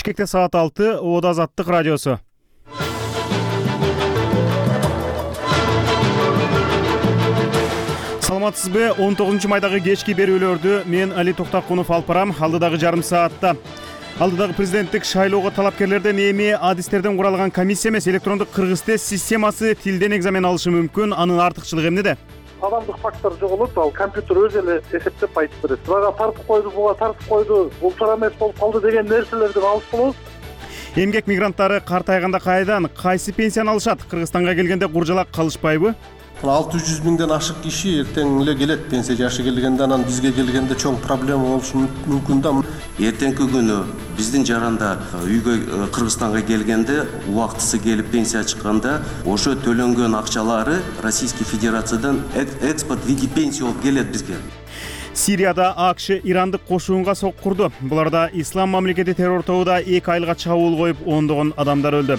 Бишкекте саат 6, Оодо Азаттык радиосу. Саламатсызбы? 19-майдагы кечки берүүлөрдү мен Али Токтакунов алып барам. Алдыдагы жарым саатта алдыдагы президенттик шайлоого талапкерлерден эми адистерден куралган комиссия эмес, электрондук кыргыз тест системасы тилден экзамен алышы мүмкүн. Анын артыкчылыгы эмнеде? Адамдык фактор жоголот, ал компьютер өзү эле эсептеп айтып берет. Буга тартып койду, буга тартып койду, бул туура эмес болуп калды деген нерселерден алыс болобуз. Эмгек мигранттары картайганда кайдан, кайсы пенсияны алышат? Кыргызстанга келгенде куржалак калышпайбы? 600 миңден ашык киши эртең эле келет пенсия жашы келгенде, анан бизге келгенде чоң проблема болушу мүмкүн да. Эртеңки күнү биздин жарандар үйгө Кыргызстанга келгенде, убактысы келип пенсия чыкканда, ошо төлөнгөн акчалары Российский Федерациядан экспорт в виде пенсии болуп келет бизге. Сирияда АКШ ирандык кошуунга соккурду. Буларда Ислам мамлекети террор тобуда 2 айга чабуул коюп, ондогон адамдар өлдү.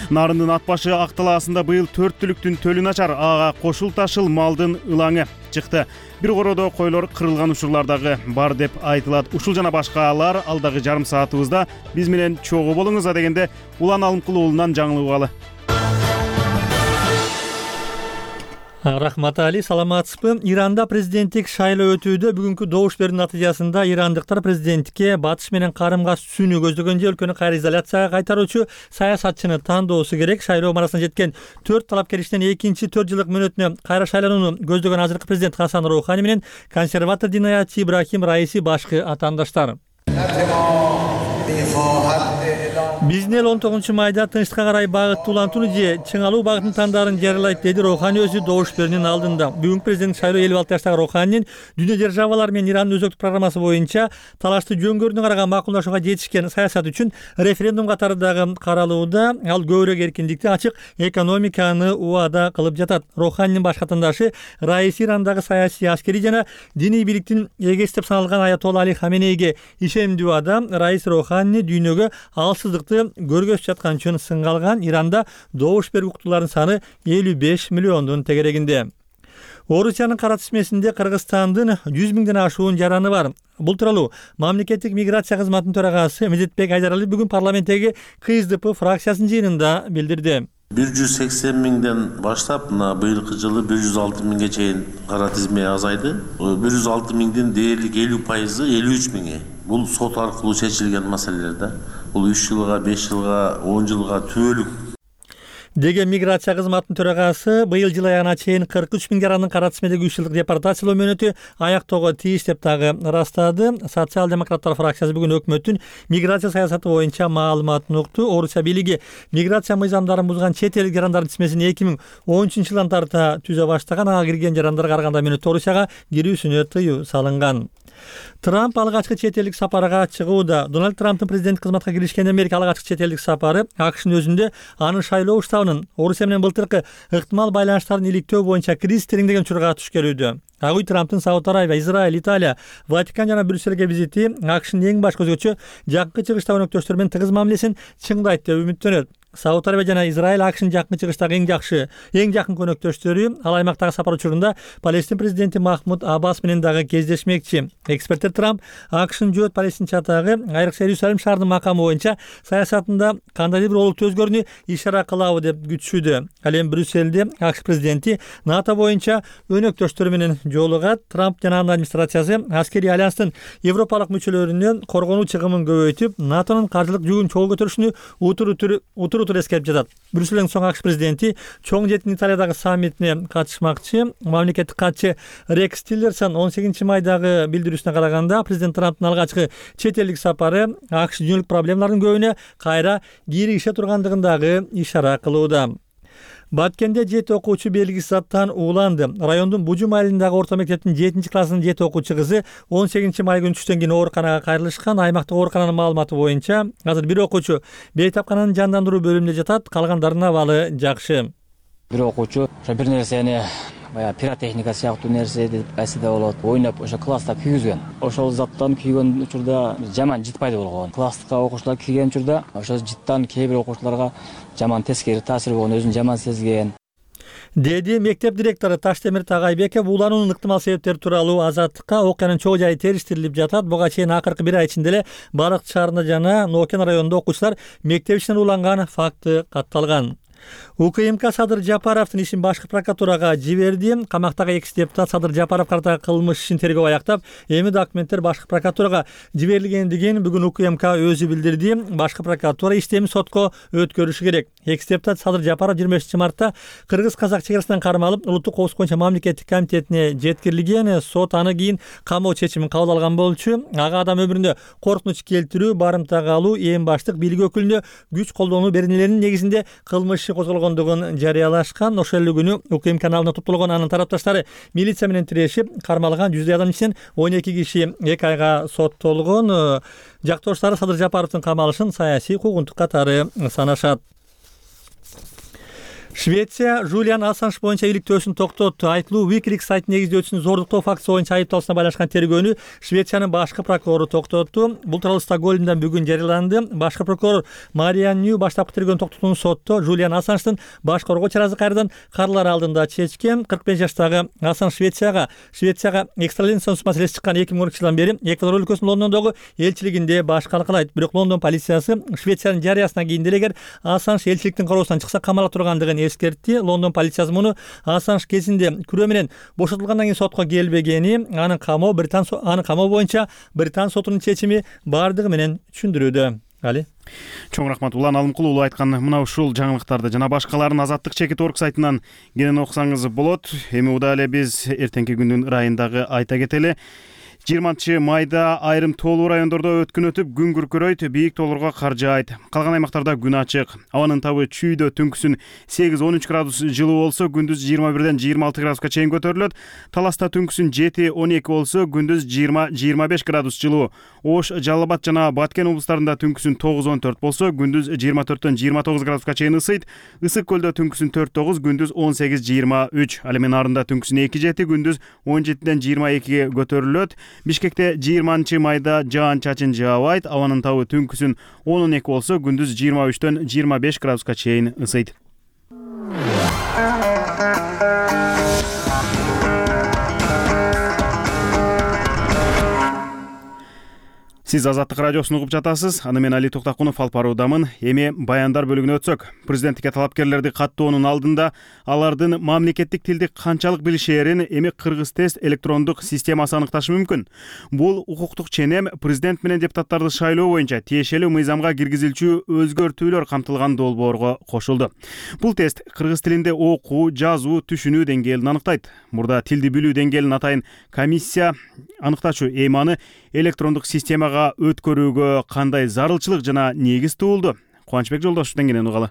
Нарындын ат башы Ак талаасында быйыл 4 түлүктүн төлү начар, ага кошул ташыл малдын ылаңы чыкты. Бир короодо койлор кырылган учурлардагы бар деп айтылат. Ушул жана башкалар алдагы жарым саатыбызда биз менен чогуу болуңуз дегенде Улан Алымкул уулунан жаңылып. Рахмат Али, саламатсызбы? Иранда президенттик шайлоо өтүүдө бүгүнкү добуш берүү натыйжасында ирандыктар президентке батыш менен карым-кат түзүүнү көздөгөн өлкөнү кайра изоляцияга кайтаруучу саясатчыны тандоосу керек. Шайлоо марасына жеткен 4 талапкер ичинен экинчи 4 жылдык мөөнөтүнө кайра шайланууну көздөгөн азыркы президент Хасан Роухани менен консерватор динаятчы Ибрахим Раиси башкы атаандаштар. Биздин эл 19-майда тынчтыкка карай багытты улантууну же чыңалуу багытын тандарын жарыялайт, деди Роухани өзү добуш берүүнүн алдында. Бүгүнкү президент шайлоо 56 жаштагы Роуханинин дүйнө державалары менен Ирандын өзөктүк программасы боюнча талашты жөн-көрүнө караган макулдашууга жетишкен саясат үчүн референдум катары дагы каралууда. Ал көбүрөөк эркиндикти, ачык экономиканы убада кылып жатат. Роуханинин башкы атаандашы Раиси Ирандагы саясий, аскерий жана диний бийликтин эгеси деп саналган Аятолла Али Хаменейге ишендүү адам. Раис Роухани дүйнөгө алсыздыкты көргөзүп жаткан үчүн сынга алган. Иранда добуш берүү уктууларынын саны 55 миллиондун тегерегинде. Орусиянын кара тизмесинде Кыргызстандын 100 миңден ашуун жараны бар. Бул тууралуу мамлекеттик миграция кызматынын төрагасы Медетбек Айдарали бүгүн парламенттеги КСДП фракциясынын жыйынында билдирди. 180 миңден баштап быйылкы жылы 106 миңге чейин кара тизме азайды. 106 миңдин дээрлик 50%, 53 миңи. Бул сот аркылуу чечилген маселелер да. Бул 3 жылга, 5 жылга, 10 жылга түбөлүк деген миграция кызматынын төрагасы быйыл жыл аягына чейин 43 миң жарандын кара тизмедеги 3 жылдык депортациялоо мөөнөтү аяктоого тийиш деп дагы ырастады. Социал-демократтар фракциясы бүгүн өкмөттүн миграция саясаты боюнча маалыматын укту. Орусия бийлиги миграция мыйзамдарын бузган чет элдик жарандардын тизмесин 2013-жылдан тарта түзө баштаган. Ага кирген жарандарға караганда мөөнөттө Орусияга кирүүсүнө тыюу салынган. Трамп алгачкы чет элдик сапарга чыгууда. Дональд Трамптын президенттик кызматка киришкенден берки алгачкы чет элдик сапары АКШнын өзүндө анын шайлоо уставынын Орусия менен былтыркы ыктымал байланыштарын иликтөө боюнча кризис тереңдеген учурга туш келүүдө. Агуй Трамптын Сауд Арабия, Израиль, Италия, Ватикан жана Брюссельге визити АКШнын эң баш көзгөчү жакын чыгыштагы өнөктөштөр менен тыгыз мамилесин чыңдайт деп үмүттөнөт. Сауд Арабия жана Израиль АКШнын жакын чыгыштагы эң жакын өнөктөштөрү. Ал аймактагы сапар учурунда Палестин президенти Махмуд Аббас менен дагы кездешмекчи. Эксперттер Трамп АКШнын жөөт палестинчатагы айрыкча Иерусалим шаарынын макамы боюнча саясатында кандайдыр бир олуттуу өзгөрүүнү ишара кылабы деп күтүшүүдө. Ал эми Брюссельде АКШ президенти НАТО боюнча өнөктөштөрү менен жолугат. Трамп жана анын администрациясы аскерий альянстын европалык мүчөлөрүнүн коргонуу чыгымын көбөйтүп, НАТОнун каржылык жүгүн чогуу көтөрүшүнү утур эскерип жатат. Брюссельден соң АКШ президенти чоң жетин Италиядагы саммитине катышмакчы. Мамлекеттик катчы Рекс Тиллерсон 18-майдагы билдирүүсүнө караганда президент Трамптын алгачкы чет элдик сапары АКШ дүйнөлүк проблемалардын көбүнө кайра киригише тургандыгын дагы ишара кылууда. Баткенде 7 окуучу белгисиз заттан ууланды. Райондун Бужум айылындагы орто мектептин 7-классынын 7 окуучу кызы 18-май күнү түштөн кийин ооруканага кайрылышкан. Аймактык оорукананын маалыматы боюнча азыр бир окуучу бейтапкананын жандандыруу бөлүмүндө жатат, калгандарынын абалы жакшы. Бир окуучу бир нерсени пиротехника сыяктуу нерсе деп кайсыда болот, ойноп ошо класста күйгүзгөн. Ошол заттан күйгөн учурда жаман жыт пайда болгон. Класска окуучулар кийген учурда ошол жыттан кээ бир окуучуларга жаман тескери таасир болгон, өзүн жаман сезген. деди мектеп директору Таштемир Тагайбеков. Улануунун ыктымал себептери тууралуу Азаттыкка окуянын чоо жайы териштирилип жатат. Буга чейин акыркы бир ай ичинде эле Барык шаарында жана Нокен районунда окуучулар мектеп ичинен уланган факты катталган. УКМК Садыр Жапаровдун ишин башкы прокуратурага жиберди. Камактагы экс депутат Садыр Жапаров катардагы кылмыш ишин тергөө аяктап, эми документтер башкы прокуратурага жиберилгендигин бүгүн УКМК өзү билдирди. Башкы прокуратура иштеми сотко өткөрүшү керек. Экс депутат Садыр Жапаров 25 мартта кыргыз-казак чек арасынан кармалып, улуттук коопсуздук боюнча мамлекеттик комитетине жеткирилген. Сот аны кийин камоо чечимин кабыл алган болчу. Ага адам өмүрүндө коркунуч келтирүү, барымтага алуу, эң баштык бийлик өкүлүнө күч колдонуу беренелеринин негизинде кылмыш козголгондугун жарыялашкан. Ошол эле күнү УКМК каналына топтолгон анын тарапташтары милиция менен тирешип, кармалган 100 адам ичинен 12 киши 2 айга соттолгон. Жактоштары Садыр Жапаровдун камалышын саясий куугунтук катары санашат. Швеция Жулиан Ассанж боюнча иликтөөсүн токтотту. Айтылуу Wikileaks сайтын негиздөөчүсүн зордуктоо фактысы боюнча айыпталышына байланышкан тергөөнү Швециянын башкы прокурору токтотту. Бул тууралуу Стокгольмдон бүгүн жарыяланды. Башкы прокурор Мариан Нью баштапкы тергөөнү токтотууну сотто Жулиан Ассанждын баш коргоо чарасы кайрадан каралар алдында чечкен. 45 жаштагы Ассанж Швецияга экстрадициялоо маселеси чыккан 2012 жылдан бери Эквадор өлкөсүнүн Лондондогу элчилигинде баш калкалайт. Бирок Лондон полициясы Швециянын жарыясынан кийин деле эгер Ассанж элчиликтин кароосунан чыкса камала тургандыгын эскертти. Лондон полициясы муну Ассанж кезинде күрөө менен бошотулгандан кийин сотко келбегени, анын камоо боюнча Британ сотунун чечими бардыгы менен түшүндүрүүдө. Али чоң рахмат. Улан Алымкулуу айткан мына ушул жаңылыктарды жана башкаларын Азаттык Чекит.орг сайтынан кенен окусаңыз болот. Эми удаал эле биз эртеңки күндүн ырайындагы айта кетели. 20 майда айрым тоолуу райондордо өткүн өтүп, күн күркөрөйт, бийик тоолорго кар жаайт. Калган аймактарда күн ачык. Абанын табы чүйдө түнкүсүн 8-13 градус жылуу болсо, күндүз 21-ден 26 градуска чейин көтөрүлөт. Таласта түнкүсүн 7-12 болсо, күндүз 20-25 градус жылуу. Ош, Жалал Абад жана Баткен облустарында түнкүсүн 9-14 болсо, күндүз 24-төн 29 градуска чейин ысыйт. Ысык көлдө түнкүсүн 4-9, күндүз 18-23. Ал эми нарында түнкүсүн 2-7, күндүз 17-ден 22-ге көтөрүлөт. Бишкекте 20 майда жаан-чачын жаабайт. Абанын табы түнкүсүн 10-12 болсо, күндүз 23-төн 25 градуска чейин ысыйт. Сиз Азаттык радиосун угуп жатасыз. Аны мен Али Токтакунов алып баруудамын. Эми баяндар бөлүгүнө өтсөк. Президенттикке талапкерлерди каттоонун алдында алардын мамлекеттик тилди канчалык билишээрин эми Кыргыз тест электрондук системасы аныкташы мүмкүн. Бул укуктук ченем президент менен депутаттарды шайлоо боюнча тиешелүү мыйзамга киргизилчү өзгөртүүлөр камтылган долбоорго кошулду. Бул тест кыргыз тилинде окуу, жазуу, түшүнүү деңгээлин аныктайт. Мурда тилди билүү деңгээлин атайын комиссия аныктачу. Эми аны электрондук системага өткөрүүгө кандай зарылчылык жана негиз туулду? Кубанычбек Жолдошовдон кенен угалы.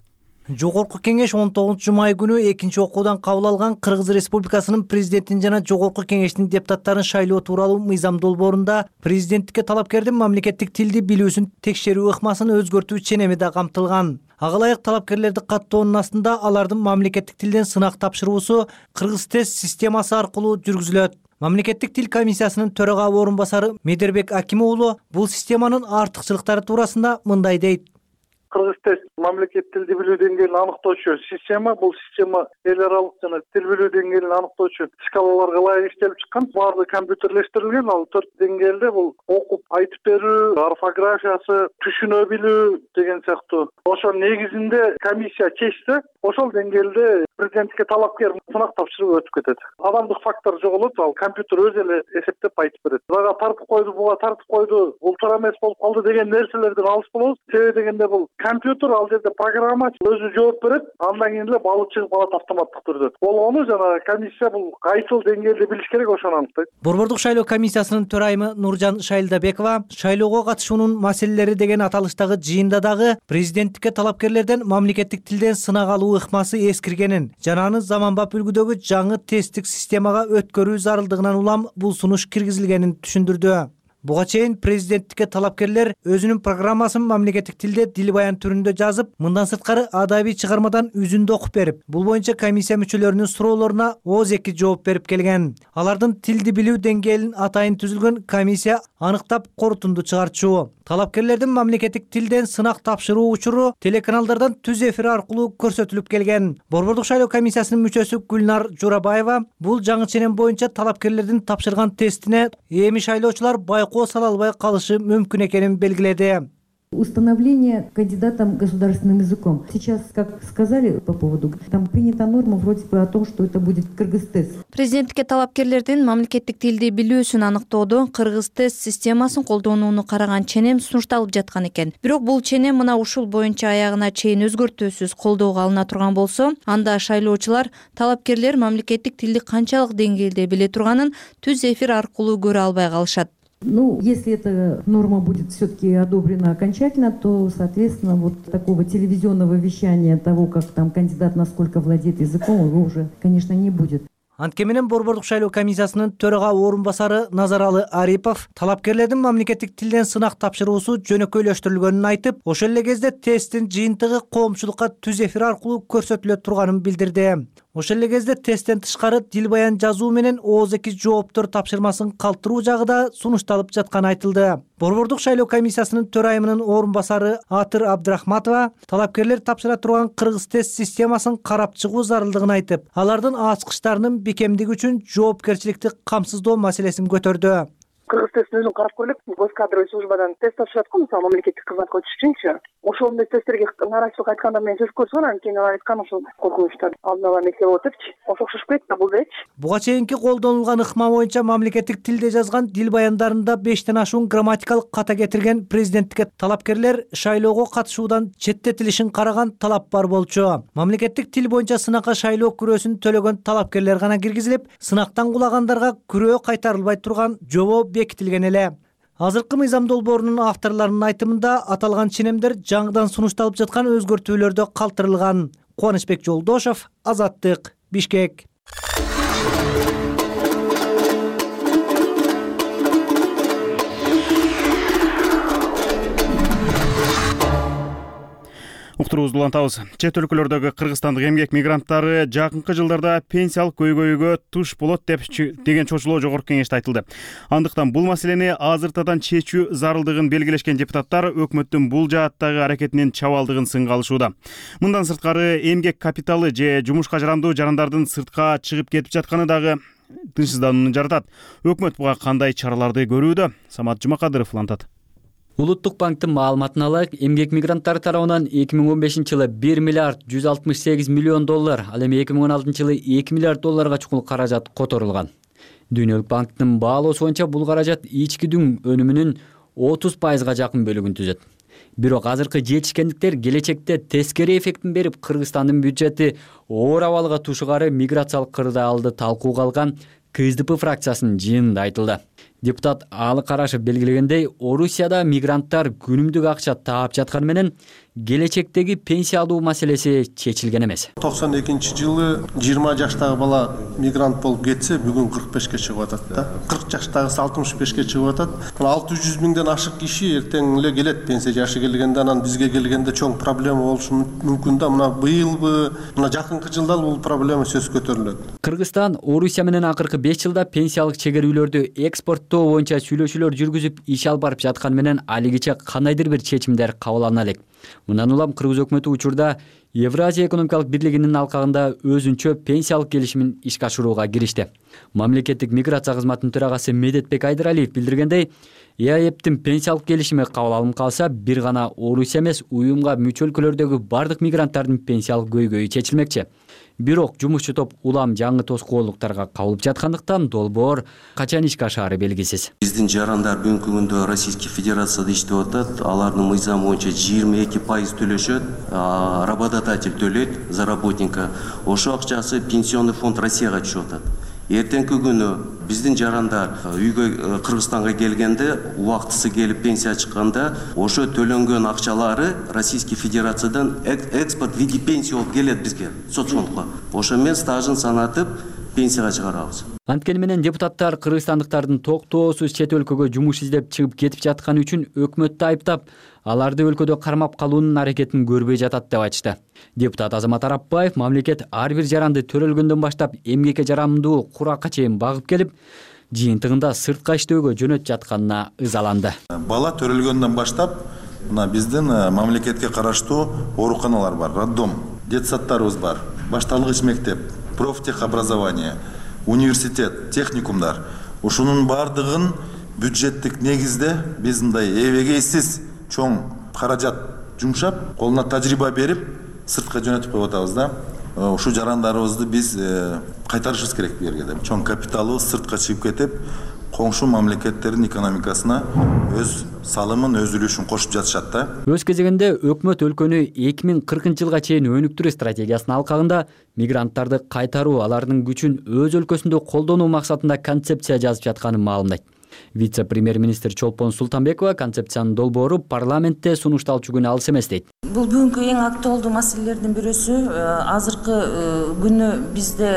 Жогорку кеңеш 19 май күнү экинчи окуудан кабыл алган Кыргыз Республикасынын президентин жана Жогорку кеңештин депутаттарын шайлоо тууралуу мыйзам долбоорунда президенттикке талапкердин мамлекеттик тилди билүүсүн текшерүү ыкмасын өзгөртүү ченеми да камтылган. Ага ылайык талапкерлерди каттоонун астында алардын мамлекеттик тилден сынак тапшыруусу Кыргыз тест системасы аркылуу жүргүзүлөт. Мамлекеттик тил комиссиясынын төрага орун басары Медербек Аким уулу бул системанын артыкчылыктары туурасында мындай дейт. Кыргыз тест мамлекеттик тилди билүү деңгээлин аныктоочу система. Бул система эл аралык жана тил билүү деңгээлин аныктоочу шкалаларга ылайык иштелип чыккан. Баардыгы компьютерлештирилген. Ал 4 деңгээлде бул окуп айтып берүү, орфографиясы, түшүнө билүү деген сыяктуу. Ошол негизинде комиссия чечсе, ошол деңгээлде президенттикке талапкер сынак тапшырып өтүп кетет. Адамдык фактор жоголот. Ал компьютер өзү эле эсептеп айтып берет. Буга тартып койду, буга тартып койду, бул туура эмес болуп калды деген нерселерден алыс болобуз. Себеби дегенде бул компьютер ал жерде программа өзү жооп берет, андан кийин эле балы чыгып калат автоматтык түрдө. Болгону жана комиссия бул кайсыл деңгээлде билиш керек ошону аныктайт. Борбордук шайлоо комиссиясынын төрайымы Нуржан Шайлдабекова шайлоого катышуунун маселелери деген аталыштагы жыйында дагы президенттикке талапкерлерден мамлекеттик тилден сынак алуу ыкмасы эскиргенин жана аны заманбап үлгүдөгү жаңы тесттик системага өткөрүү зарылдыгынан улам бул сунуш киргизилгенин түшүндүрдү. Буга чейин президенттикке талапкерлер өзүнүн программасын мамлекеттик тилде дил баян түрүндө жазып, мындан сырткары адабий чыгармадан үзүндү окуп берип, бул боюнча комиссия мүчөлөрүнүн суроолоруна ооз эки жооп берип келген. Алардын тилди билүү деңгээлин атайын түзүлгөн комиссия аныктап корутунду чыгарчу. Талапкерлердин мамлекеттик тилден сынак тапшыруу учуру телеканалдардан түз эфир аркылуу көрсөтүлүп келген. Борбордук шайлоо комиссиясынын мүчөсү Гүлнар Журабаева бул жаңы ченем боюнча талапкерлердин тапшырган тестине эми шайлоочулар байкоо сала албай калышы мүмкүн экенин белгиледи. Установление кандидатом государственным языком. Сейчас, как сказали по поводу, там принята норма вроде бы о том, что это будет кыргыз-тест. Президенттикке талапкерлердин мамлекеттик тилди билүүсүн аныктоодо кыргыз-тест системасын колдонууну караган ченем сунушталып жаткан экен. Бирок бул ченем мына ушул боюнча аягына чейин өзгөртүүсүз колдоого алына турган болсо, анда шайлоочулар талапкерлер мамлекеттик тилди канчалык деңгээлде биле турганын түз эфир аркылуу көрө албай калышат. Ну, если эта норма будет все-таки одобрена окончательно, то, соответственно, вот такого телевизионного вещания того, как там кандидат насколько владеет языком, его уже, конечно, не будет. Антке менен Борбордук шайлоо комиссиясынын төрага орун басары Назаралы Арипов талапкерлердин мамлекеттик тилден сынак тапшыруусу жөнөкөйлөштүрүлгөнүн айтып, ошол эле кезде тесттин жыйынтыгы коомчулукка түз эфир аркылуу көрсөтүлө турганын билдирди. Ошол эле кезде тесттен тышкары дил баян жазуу менен ооз эки жооптор тапшырмасын калтыруу жагы да сунушталып жатканы айтылды. Борбордук шайлоо комиссиясынын төрайымынын орун басары Атыр Абдрахматова талапкерлер тапшыра турган кыргыз-тест системасын карап чыгуу зарылдыгын айтып, алардын ачкычтарынын бекемдиги үчүн жоопкерчиликти камсыздоо маселесин көтөрдү. Кыргыз-тесттин өзүн карап көрөлүк. Госкадровый службадан тест тапшырат го, мисалы мамлекеттик кызматка өтүш үчүнчү. Ошол тесттерге нааразычылык айтканда мен сөз көрсөм, анан кийин алар айткан ошол коркунучтар алдын ала эмесе болот депчи. Ошо окшош кетти, булдечи. Буга чейинки колдонулган ыкма боюнча мамлекеттик тилде жазган дил баяндарында 5тен ашуун грамматикалык ката кетирген президенттикке талапкерлер шайлоого катышуудан четтетилишин караган талап бар болчу. Мамлекеттик тил боюнча сынакка шайлоо күрөөсүн төлөгөн талапкерлер гана киргизилип, сынактан кулагандарга күрөө кайтарылбай турган жобо бекитилген эле. Азыркы мыйзам долбоорунун авторлорунун айтымында аталган ченемдер жаңыдан сунушталып жаткан өзгөртүүлөрдө калтырылган. Кубанычбек Жолдошов, Азаттык, Бишкек. Уктуруубузду улантабыз. Чет өлкөлөрдөгү кыргызстандык эмгек мигранттары жакынкы жылдарда пенсиялык көйгөйгө туш болот деген чочулоо жогорку кеңеште айтылды. Андыктан бул маселени азыртадан чечүү зарылдыгын белгилешкен депутаттар өкмөттүн бул жааттагы аракетинин чабалдыгын сынга алышууда. Мындан сырткары эмгек капиталы же жумушка жарандуу жарандардын сыртка чыгып кетип жатканы дагы тынчсызданууну жаратат. Өкмөт буга кандай чараларды көрүүдө? Самат Жумакадыров улантат. Улуттук банктын маалыматына алайык, эмгек мигранттары тарабынан 2015-жылы 1 миллиард 168 миллион доллар, ал эми 2016-жылы 2 миллиард долларга чукул каражат которулган. Дүйнөлүк банктын баалоосу боюнча бул каражат ичкидүн өнүмүнүн 30%га жакын бөлүгүн түзөт. Бирок азыркы жетишкендиктер келечекте тескери эффектин берип, Кыргызстандын бюджети оор абалга тушугары миграциялык кырдаалды талкууга алган КСДП фракциясынын жыйынында айтылды. Депутат Алы Карашев белгилегендей, Орусияда мигранттар күнүмдүк акча таап жатканы менен келечектеги пенсия алуу маселеси чечилген эмес. 92-жылы 20 жаштагы бала мигрант болуп кетсе, бүгүн 45-ке чыгып атат да. 40 жаштагысы 65-ке чыгып атат. 600 миңден ашык киши эртең эле келет пенсия жашы келгенде, анан бизге келгенде чоң проблема болушу мүмкүн да. Мына быйылбы, мына жакынкы жылда бул проблема сөз көтөрүлөт. Кыргызстан Орусия менен акыркы 5 жылда пенсиялык чегерүүлөрдү экспорттоо боюнча сүйлөшүүлөр жүргүзүп, иш алып барып жатканы менен алигиче кандайдыр бир чечимдер кабыл алына элек. Мындан улам Кыргыз өкмөтү учурда Евразия экономикалык бирлигинин алкагында өзүнчө пенсиялык келишимин ишке ашырууга киришти. Мамлекеттик миграция кызматынын төрагасы Медетбек Айдыралиев билдиргендей, ЕАЭПтин пенсиялык келишими кабыл алынып калса, бир гана Орусия эмес, уюмга мүчө өлкөлөрдөгү бардык мигранттардын пенсиялык көйгөйү чечилмекчи. Бирок жумушчу топ улам жаңы тоскоолдуктарга кабылып жаткандыктан долбоор качан ишке ашаары белгисиз. Биздин жарандар бүгүнкү күндө Российский Федерацияда иштеп атат. Алардын мыйзамы боюнча 22% төлөшөт, работодатель төлөйт за работника. Ошо акчасы пенсионный фонд Россияга түшүп атат. Эртеңки күнү биздин жарандар үйгө Кыргызстанга келгенде, убактысы келип пенсия чыкканда, ошо төлөнгөн акчалары Российский Федерациядан экспорт в виде пенсии болуп келет бизге, соцфондко. Ошо мен стажын санатып, пенсияга чыгарабыз. Анткени менен депутаттар кыргызстандыктардын токтоосуз чет өлкөгө жумуш издеп чыгып кетип жатканы үчүн өкмөттү айыптап, аларды өлкөдө кармап калуунун аракетин көрбөй жатат деп айтышты. Депутат Азамат Арапбаев мамлекет ар бир жаранды төрөлгөндөн баштап эмгекке жарамдуу куракка чейин багып келип, жыйынтыгында сыртка иштөөгө жөнөтүп жатканына ызаланды. Бала төрөлгөндөн баштап мына биздин мамлекетке караштуу ооруканалар бар, роддом, детсадтарыбыз бар, башталгыч мектеп, профтехобразование, университет, техникумдар. Ушунун бардыгын бюджеттик негизде биз мындай эбегейсиз чоң каражат жумшап, колуна тажрыйба берип, сыртка жөнөтүп коюп атабыз да. Ушу жарандарыбызды биз кайтарышыбыз керек бу жерге деп. Чоң капиталыбыз сыртка чыгып кетип, коңшу мамлекеттердин экономикасына өз салымын, өз үлүшүн кошуп жатышат да. Өз кезегинде өкмөт өлкөнү 2040-жылга чейин өнүктүрүү стратегиясынын алкагында мигранттарды кайтаруу, алардын күчүн өз өлкөсүндө колдонуу максатында концепция жазып жатканын маалымдайт. Вице-премьер-министр Чолпон Султанбекова концепциянын долбоору парламентте сунушталчу күнү алыс эмес дейт. Бул бүгүнкү эң актуалдуу маселелердин бирөөсү. Азыркы күнү бизде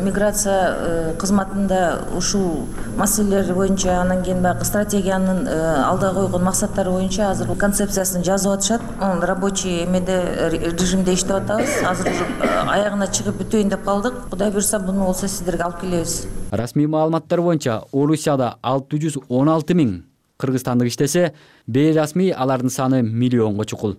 миграция кызматында ушул маселелер боюнча, анан кийин баягы стратегиянын алда койгон максаттары боюнча азыр концепциясын жазып атышат. Рабочий режимде иштеп атабыз. Азыр аягына чыгып бүтөйүн деп калдык. Кудай буйрса буну болсо сиздерге алып келебиз. Расмий маалыматтар боюнча Орусияда 616 000 кыргызстандык иштесе, бейрасмий алардын саны миллионго чукул.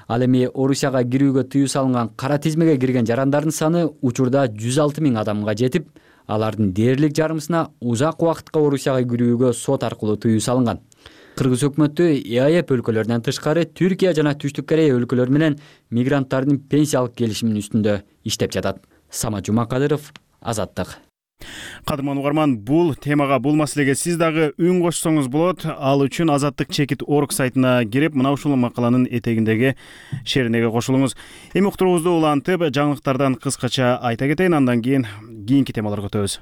Ал эми Орусияга кирүүгө тыюу салынган кара тизмеге кирген жарандардын саны учурда 106 000 адамга жетип, алардын дээрлик жарымысына узак убакытка Орусияга кирүүгө сот аркылуу тыюу салынган. Кыргыз өкмөтү ЕАЭП өлкөлөрүнөн тышкары Түркия жана Түштүк Корея өлкөлөрү менен мигранттардын пенсиялык келишиминин үстүндө иштеп жатат. Самат Жумакадыров, Азаттык. Кадырман угарман, бул темага, бул маселеге сиз дагы үн кошсоңуз болот. Ал үчүн azattik.org сайтына кирип, мына ушул макаланын этегиндеги шеринеге кошулуңуз. Эми уктуруубузду улантып, жаңылыктардан кыскача айта кетейин, андан кийинки темаларга өтөбүз.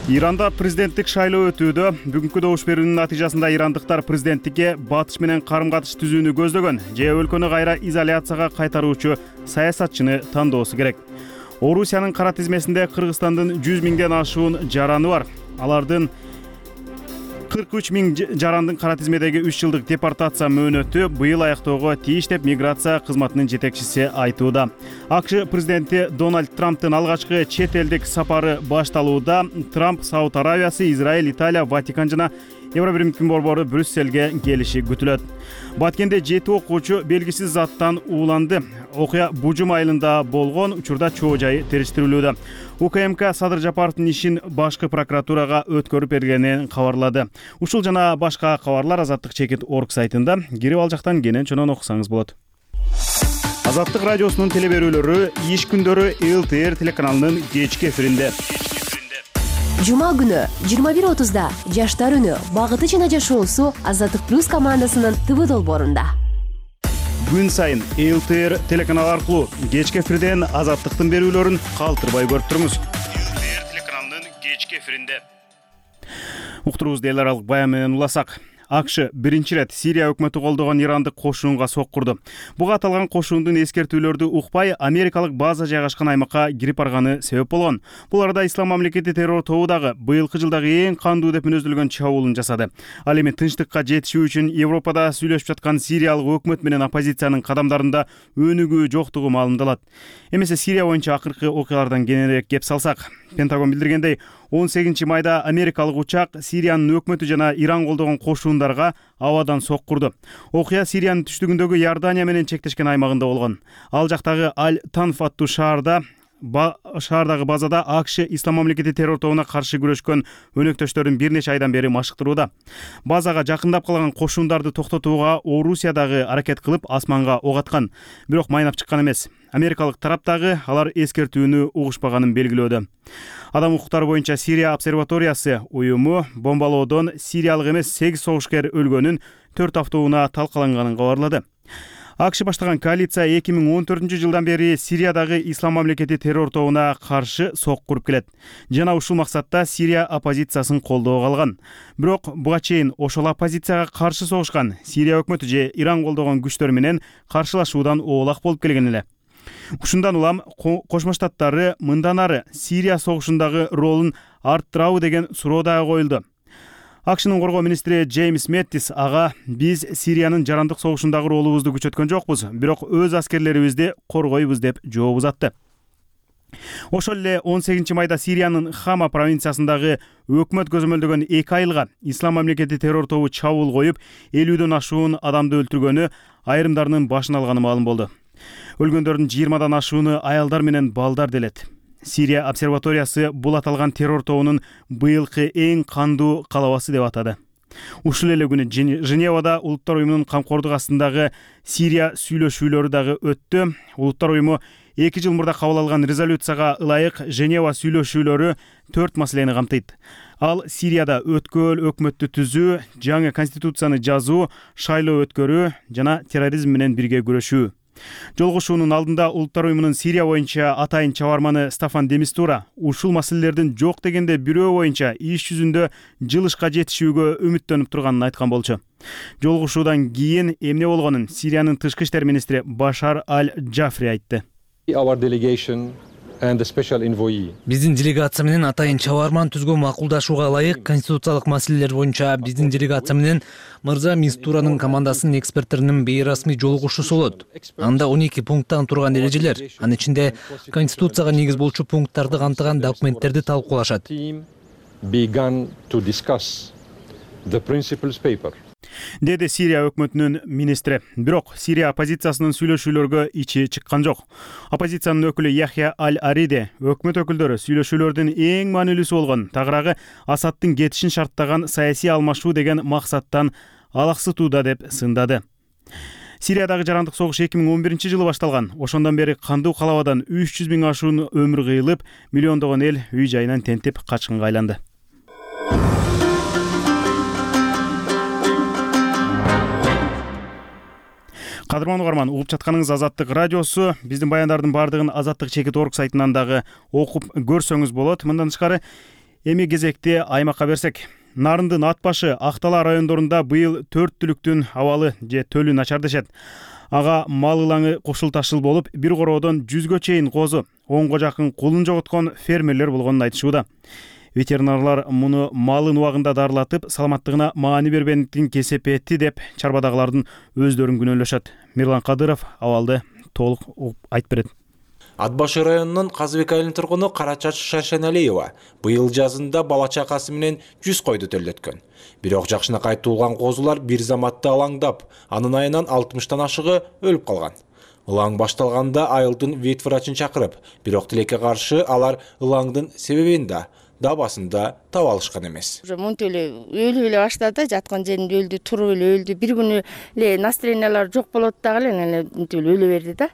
Иранда президенттик шайлоо өтүүдө. Бүгүнкү добуш берүүнүн натыйжасында ирандыктар президенттикке батыш менен карым-катыш түзүүнү көздөгөн же өлкөнү кайра изоляцияга кайтаруучу саясатчыны тандоосу керек. Орусиянын кара тизмесинде Кыргызстандын 100 000ден ашуун жараны бар. Алардын 43 000 жарандын кара тизмедеги 3 жылдык депортация мөөнөтү быйыл аяктоого тийиш деп миграция кызматынын жетекчиси айтууда. АКШ президенти Дональд Трамптын алгачкы чет элдик сапары башталууда. Трамп Сауд Аравиясы, Израиль, Италия, Ватикан жана Евробиримдин борбору Брюсселге келиши күтүлөт. Баткенде 7 окуучу белгисиз заттан ууланды. Окуя Бужум айылында болгон, учурда чоо жайы териштирилүүдө. УКМК Садыр Жапаровдун ишин башкы прокуратурага өткөрүп бергенин кабарлады. Ушул жана башка кабарлар azattik.org сайтында, кирип ал жактан кенен чонон окусаңыз болот. Азаттык радиосунун телеберүүлөрү иш күндөрү ЛТР телеканалынын кечки эфиринде. Жума күнү 21:30да Жаштар үнү багыты жана жашоосу Азаттык плюс командасынын ТВ долбоорунда. Күн сайын ЛТР телеканалы аркылуу кечки эфирден Азаттыктын берүүлөрүн калтырбай көрүп туруңуз. ЛТР телеканалынын кечки эфиринде. Уктуруубузду эл аралык баян менен уласак. АКШ биринчи ирет Сирия өкмөтү колдогон ирандык кошуунга соккурду. Буга аталган кошуундун эскертүүлөрдү укпай, америкалык база жайгашкан аймакка кирип барганы себеп болгон. Бул арада Ислам мамлекети террор тобу дагы быйылкы жылдагы эң кандуу деп мүнөздөлгөн чабуулун жасады. Ал эми тынчтыкка жетишүү үчүн Европада сүйлөшүп жаткан сириялык өкмөт менен оппозициянын кадамдарында өнүгүү жоктугу маалымдалат. Эмесе Сирия боюнча акыркы окуялардан кененирээк кеп салсак, Пентагон билдиргендей, 18 майда америкалык учак Сириянын өкмөтү жана Иран колдогон кошуундарга абадан соккурду. Окуя Сириянын түштүгүндөгү Иордания менен чектешкен аймагында болгон. Ал жактагы Аль-Танф аттуу шаардагы базада АКШ Ислам мамлекети террор тобуна каршы күрөшкөн өнөктөштөрүн бир нече айдан бери машыктырууда. Базага жакындап калган кошуундарды токтотууга Орусия дагы аракет кылып асманга ок аткан, бирок майнап чыккан эмес. Америкалык тараптагы алар эскертүүнү угушпаганын белгилөөдө. Адам укуктары боюнча Сирия обсерваториясы уюму бомбалоодон сириялык эмес 8 согушкер өлгөнүн, 4 автоунаа талкаланганын кабарлады. АКШ баштаган коалиция 2014-жылдан бери Сириядагы ислам мамлекети террор тобуна каршы сок куруп келет. Жана ушул максатта Сирия оппозициясын колдоого алган. Бирок буга чейин ошол оппозицияга каршы согушкан Сирия өкмөтү же Иран колдогон күчтөр менен каршылашуудан оолак болуп келген эле. Ушундан улам Кошмо Штаттары мындан ары Сирия согушундагы ролун арттырабы деген суроо дагы коюлду. АКШнын коргоо министри Джеймс Мэттис ага биз Сириянын жарандык согушундагы ролубузду күчөткөн жокпуз, бирок өз аскерлерибизди коргойбуз деп жооп узатты. Ошол эле 18-майда Сириянын Хама провинциясындагы өкмөт көзөмөлдөгөн 2 айылга ислам мамлекети террор тобу чабуул коюп, 50дөн ашуун адамды өлтүргөнү айрымдарынын башын алганы маалым болду. Өлгөндөрдүн 20дан ашууну аялдар менен балдар делет. Сирия обсерваториясы бул аталган террор тобунун быйылкы эң кандуу калабасы деп атады. Ушул эле күнү Женевада Улуттар уюмунун камкордук астындагы Сирия сүйлөшүүлөрү дагы өттү. Улуттар уюму 2 жыл мурда кабыл алган резолюцияга ылайык Женева сүйлөшүүлөрү 4 маселени камтыйт. Ал Сирияда өткөл өкмөттү түзүү, жаңы конституцияны жазуу, шайлоо өткөрүү жана терроризм менен бирге күрөшүү. Жолугушуунун алдында Улуттар уюмунун Сирия боюнча атайын чабарманы Стафан де Мистура ушул маселелердин жок дегенде бирөө боюнча иш жүзүндө жылышка жетишүүгө үмүттөнүп турганын айткан болчу. Жолугушуудан кийин эмне болгонун Сириянын тышкы иштер министри Башар аль-Джафри айтты. Биздин делегация менен атайын чабарман түзгө макулдашууга ылайык конституциялык маселелер боюнча биздин делегация менен мырза Мистуранын командасынын эксперттеринин бейрасмий жолугушуусу болот. Анда 12 пункттан турган эрежелер, анын ичинде конституцияга негиз болчу пункттарды камтыган документтерди талкуулашат. Деди Сирия өкмөтүнүн министри. Бирок Сирия оппозициясынын сүйлөшүүлөргө ичи чыккан жок. Оппозициянын өкүлү Яхья аль-Ариде өкмөт өкүлдөрү сүйлөшүүлөрдүн эң маанилүүсү болгон тагыраагы Асадтын кетишин шарттаган саясий алмашуу деген максаттан алаксытууда деп сындады. Сириядагы жарандык согуш 2011-жылы башталган. Ошондон бери кандуу калабадан 300 000 ашуун өмүр кыйылып, миллиондогон эл үй жайынан тентип качкынга айланды. Кадырман угарман, угуп жатканыңыз Азаттык радиосу. Биздин баяндардын баардыгын azattik.org сайтынан дагы окуп көрсөңүз болот. Мындан тышкары эми кезекти аймакка берсек. Нарындын ат башы Актала райондорунда быйыл 4 түлүктүн абалы же төлү начар дешет. Ага мал ылаңы кошул ташыл болуп, бир короодон 100гө чейин козу, 10го жакын кулун жоготкон фермерлер болгонун айтышууда. Ветеринарлар муну малын убагында дарылатып, саламаттыгына маани бербендиктин кесепети деп чарбадагылардын өздөрүн күнөөлөшөт. Мирлан Кадыров абалды толук айтып берет. Ат башы районунун Казыбек айылынын тургуну Карачач Шаршеналиева быйыл жазында бала чакасы менен 100 койду төлөткөн. Бирок жакшынакай туулган козулар бир заматта алаңдап, анын айынан 60тан ашыгы өлүп калган. Ылаң башталганда айылдын вет врачын чакырып, бирок тилекке каршы алар ылаңдын себебин да дабасында таба алышкан эмес. Мынтип эле өлүп эле баштады, жаткан жеринде өлдү, туруп эле өлдү. Бир күнү эле настроениялары жок болот дагы эле мынтип эле өлө берди да.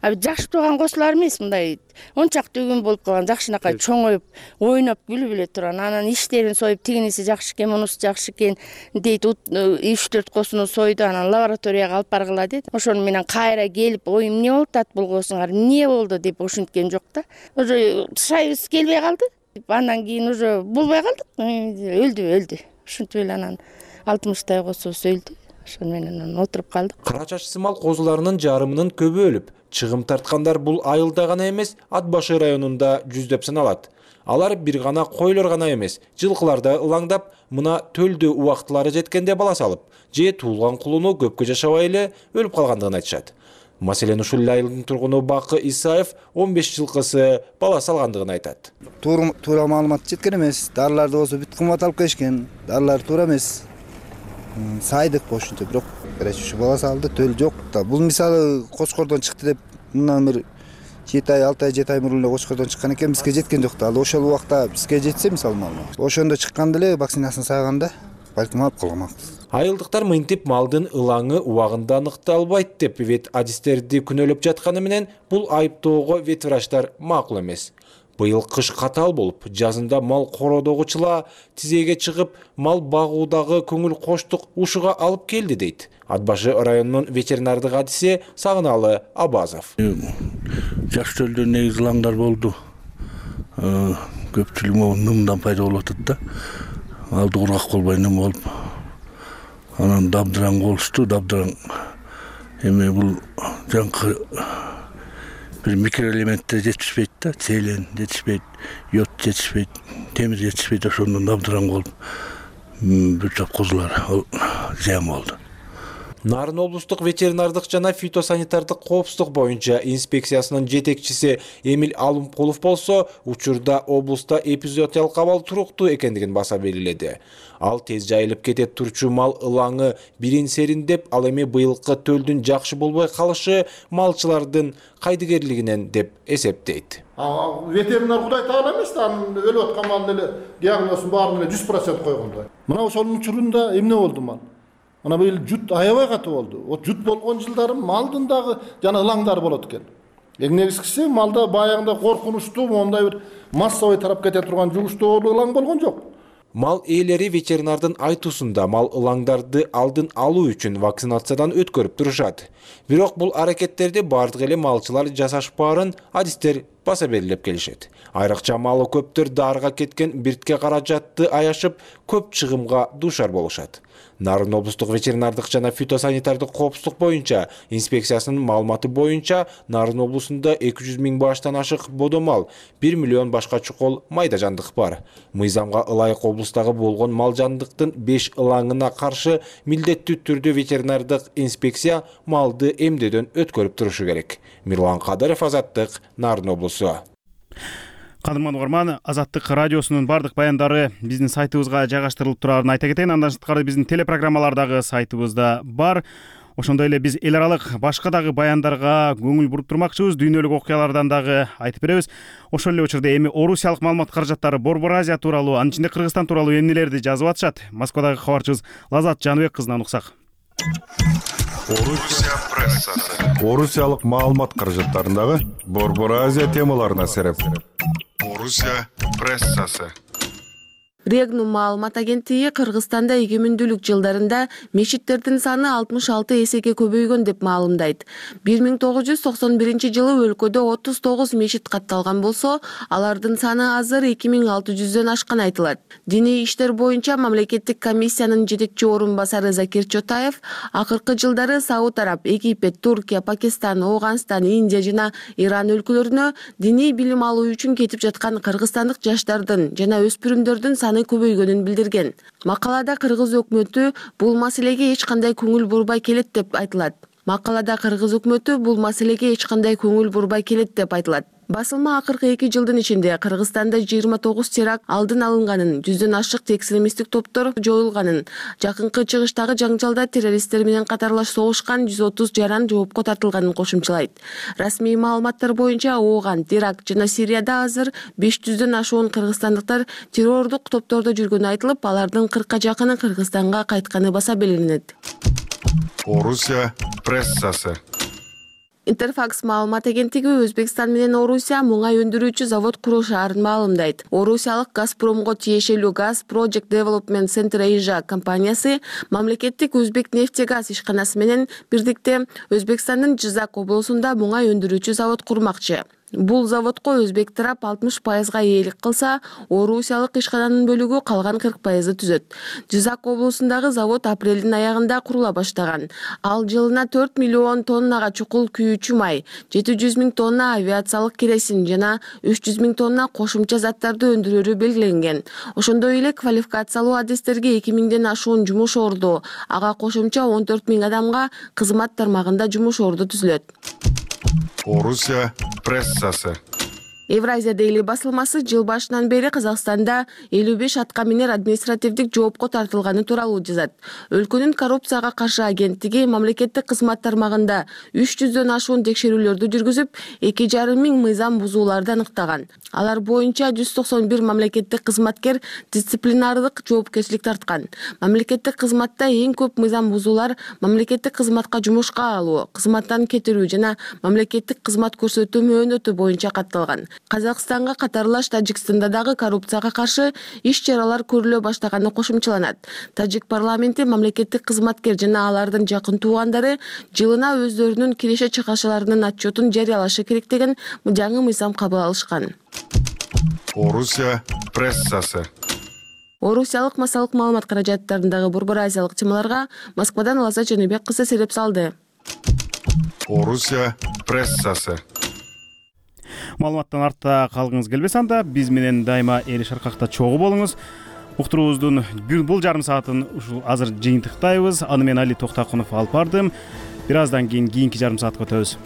Жашып турган козулар эмес, мындай ончакты өгүн болуп калган, жакшынакай чоңоюп, ойноп күлүп эле турган. Анан иштерин союп, тигиниси жакшы экен, мунусу жакшы экен дейт. 3-4 козуну сойду, анан лабораторияга алып баргыла дейт. Ошону менен кайра келип, ой эмне болуп атат бул козуңар, эмне болду деп ошенткен жок да. Уже шайыбыз келбей калды. Андан кийин уже болбой калдык, өлдү. Ушинтип эле анан 60 козубуз өлдү. Ошону менен отуруп калдык. Карачач сымал козуларынын жарымынын көбү өлүп, чыгым тарткандар бул айылда гана эмес, Ат башы районунда жүздөп саналат. Алар бир гана койлор гана эмес, жылкыларда ылаңдап, мына төлдө убактылары жеткенде бала салып, же туулган кулуну көпкө жашабай эле өлүп калгандыгын айтышат. Маселен ушул айылдын тургуну Бакы Исаев 15 жылкысы бала салгандыгын айтат. Туура маалымат жеткен эмес. Дарыларды болсо бүт кымбат алып келишкен. Дарылар туура эмес. Сайдык ошентип, бирок ушу бала салды, төл жок да. Бул мисалы Кочкордон чыкты деп мындан бир 7 ай, 6 ай, 7 ай мурун эле Кочкордон чыккан экен, бизге жеткен жок да. Ал ошол убакта бизге жетсе мисалы маалымат. Ошондо чыкканда эле вакцинасына сайганда балким алып калганбыз. Айылдыктар мынтип малдын ылаңы убагында аныкталбайт деп вет адистерди күнөөлөп жатканы менен бул айыптоого вет врачтар макул эмес. Быйыл кыш катаал болуп, жазында мал короодогучула тизеге чыгып, мал багуудагы көңүл коштук ушуга алып келди дейт Ат башы районунун ветеринардык адиси Сагыналы Абазов. Жаш төлдө негизи ылаңдар болду. Көпчүлүгү нымдан пайда болуп атат да. Алды кургак болбой ным болуп. Анан дабдыран болушту, дабдыран эми бул жаңкы бир микроэлементтер жетишпейт да, селен жетишпейт, йод жетишпейт, темир жетишпейт, ошондон дабдыран болуп бир топ козулар зыян болду. Нарын облустук ветеринардык жана фитосанитардык коопсуздук боюнча инспекциясынын жетекчиси Эмил Алымкулов болсо, учурда облуста эпизоотиялык абал туруктуу экендигин баса белгиледи. Ал тез жайылып кетет турчу мал ылаңы бирин сериндеп, ал эми быйылкы төлдүн жакшы болбой калышы малчылардын кайдыгерлигинен деп эсептейт. Ветеринар Кудай таала эмес да, анын өлүп аткан малдын эле диагнозун баарын эле 100% койгондой. Мына ошонун учурунда эмне болду мал? Ана быйыл жут аябай катуу болду. О жут болгон жылдары малдын дагы жана ылаңдар болот экен. Эң негизгиси малда баягында коркунучтуу, мондай бир массовый тарап кете турган жугуштуу ылаң болгон жок. Мал ээлери ветеринардын айтуусунда мал ылаңдарды алдын алуу үчүн вакцинациядан өткөрүп турушат. Бирок бул аракеттерди бардык эле малчылар жасашпаарын адистер баса белгилеп келишет. Айрыкча малы көптөр дарыга кеткен биртке каражатты аяшып, көп чыгымга дуушар болушат. Нарын облустук ветеринардык жана фитосанитардык коопсуздук боюнча инспекциясынын маалыматы боюнча Нарын облусунда 200 000 баштан ашык бодомал, 1 миллион башка чукол майда жандык бар. Мыйзамга ылайык облустагы болгон мал жандыктын 5 ылаңына каршы милдеттүү түрдө ветеринардык инспекция малды эмдөөдөн өткөрүп турушу керек. Мирлан Кадыров, Азаттык, Нарын облусу. Кадырман угарман, Азаттык радиосунун бардык баяндары биздин сайтыбызга жайгаштырылып турарын айта кетейин. Андан сырткары биздин телепрограммалардагы сайтыбызда бар. Ошондой эле биз эл аралык башка дагы баяндарга көңүл буруп турмакчыбыз, дүйнөлүк окуялардан дагы айтып беребиз. Ошол эле учурда эми Орусиялык маалымат каражаттары Борбор Азия тууралуу, анын ичинде Кыргызстан тууралуу эмнелерди жазып атышат? Москвадагы кабарчыбыз Лазат Жаныбек кызынан уксак. Орусия прессасы. Орусиялык маалымат каражаттарындагы Борбор Азия темаларына сереп. Орусия прессасы. Регнум маалымат агенттиги Кыргызстанда эгемендүүлүк жылдарында мечиттердин саны 66 эсеге көбөйгөн деп маалымдайт. 1991 жылы өлкөдө 39 мечит катталган болсо, алардын саны азыр 2600дөн ашкан айтылат. Диний иштер боюнча мамлекеттик комиссиянын жетекчи орун басары Закир Чотаев акыркы жылдары Сауд Араб, Египет, Туркия, Пакистан, Ооганстан, Индия жана Иран өлкөлөрүнө диний билим алуу үчүн кетип жаткан кыргызстандык жаштардын жана өспүрүмдөрдүн саны көбөйгөнүн билдирген. Макалада кыргыз өкмөтү бул маселеге эч кандай көңүл бурбай келет деп айтылат. Басылма акыркы 2 жылдын ичинде Кыргызстанда 29 теракт алдын алынганын, 100дөн ашык экстремисттик топтор жоюлганын, жакынкы чыгыштагы жаңжалда террористтер менен катарлаш согушкан 130 жаран жоопко тартылганын кошумчалайт. Расмий маалыматтар боюнча Ооган, Ирак жана Сирияда азыр 500дөн ашуун кыргызстандыктар террордук топтордо жүргөнү айтылып, алардын 40ка жакыны Кыргызстанга кайтканы баса белгиленет. Орусия прессасы. Интерфакс маалымат агенттиги Өзбекстан менен Орусия муңай өндүрүүчү завод курушаарын маалымдайт. Орусиялык Газпромго тиешелүү Gas Project Development Center Asia компаниясы мамлекеттик Өзбек нефтегаз ишканасы менен бирдикте Өзбекстандын Жизак облусунда муңай өндүрүүчү завод курмакчы. Бул заводко өзбек тарап 60%га ээлик кылса, орусиялык ишкананын бөлүгү калган 40%ды түзөт. Жизак облусундагы завод апрелдин аягында курула баштаган. Ал жылына 4 миллион тоннага чукул күйүүчү май, 700 000 тонна авиациялык керосин жана 300 000 тонна кошумча заттарды өндүрөрү белгиленген. Ошондой эле квалификациялуу адистерге 2000ден ашуун жумуш орду, ага кошумча 14 000 адамга кызмат тармагында жумуш орду түзүлөт. Орусия прессасы. Евразия Дейли басылмасы жыл башынан бери Казакстанда 55 аткаминер административдик жоопко тартылганы тууралуу жазат. Өлкөнүн коррупцияга каршы агенттиги мамлекеттик кызмат тармагында 300дөн ашуун текшерүүлөрдү жүргүзүп, 2,5 миң мыйзам бузууларды аныктаган. Алар боюнча 191 мамлекеттик кызматкер дисциплинардык жоопкерчилик тарткан. Мамлекеттик кызматта эң көп мыйзам бузуулар мамлекеттик кызматка жумушка алуу, кызматтан кетирүү жана мамлекеттик кызмат көрсөтүү мөөнөтү боюнча катталган. Казакстанга катарлаш Тажикстанда дагы коррупцияга каршы иш-чаралар көрүлө баштаганы кошумчаланат. Тажик парламенти мамлекеттик кызматкер жана алардын жакын туугандары жылына өздөрүнүн киреше чыгышаларынын отчетун жарыялашы керек деген жаңы мыйзам кабыл алышкан. Орусия прессасы. Орусиялык массалык маалымат каражаттарындагы Борбор Азиялык темаларга Москвадан Лаза Жөнөбек кызы сереп салды. Орусия прессасы. Маалыматтан артта калгыңыз келбесе анда биз менен дайыма эл шаркакта чогуу болуңуз. Уктуруубуздун бул жарым саатын ушул азыр жыйынтыктайбыз. Аны мен Али Токтакунов алып бардым. Бир аздан кийин кийинки жарым саатка өтөбүз.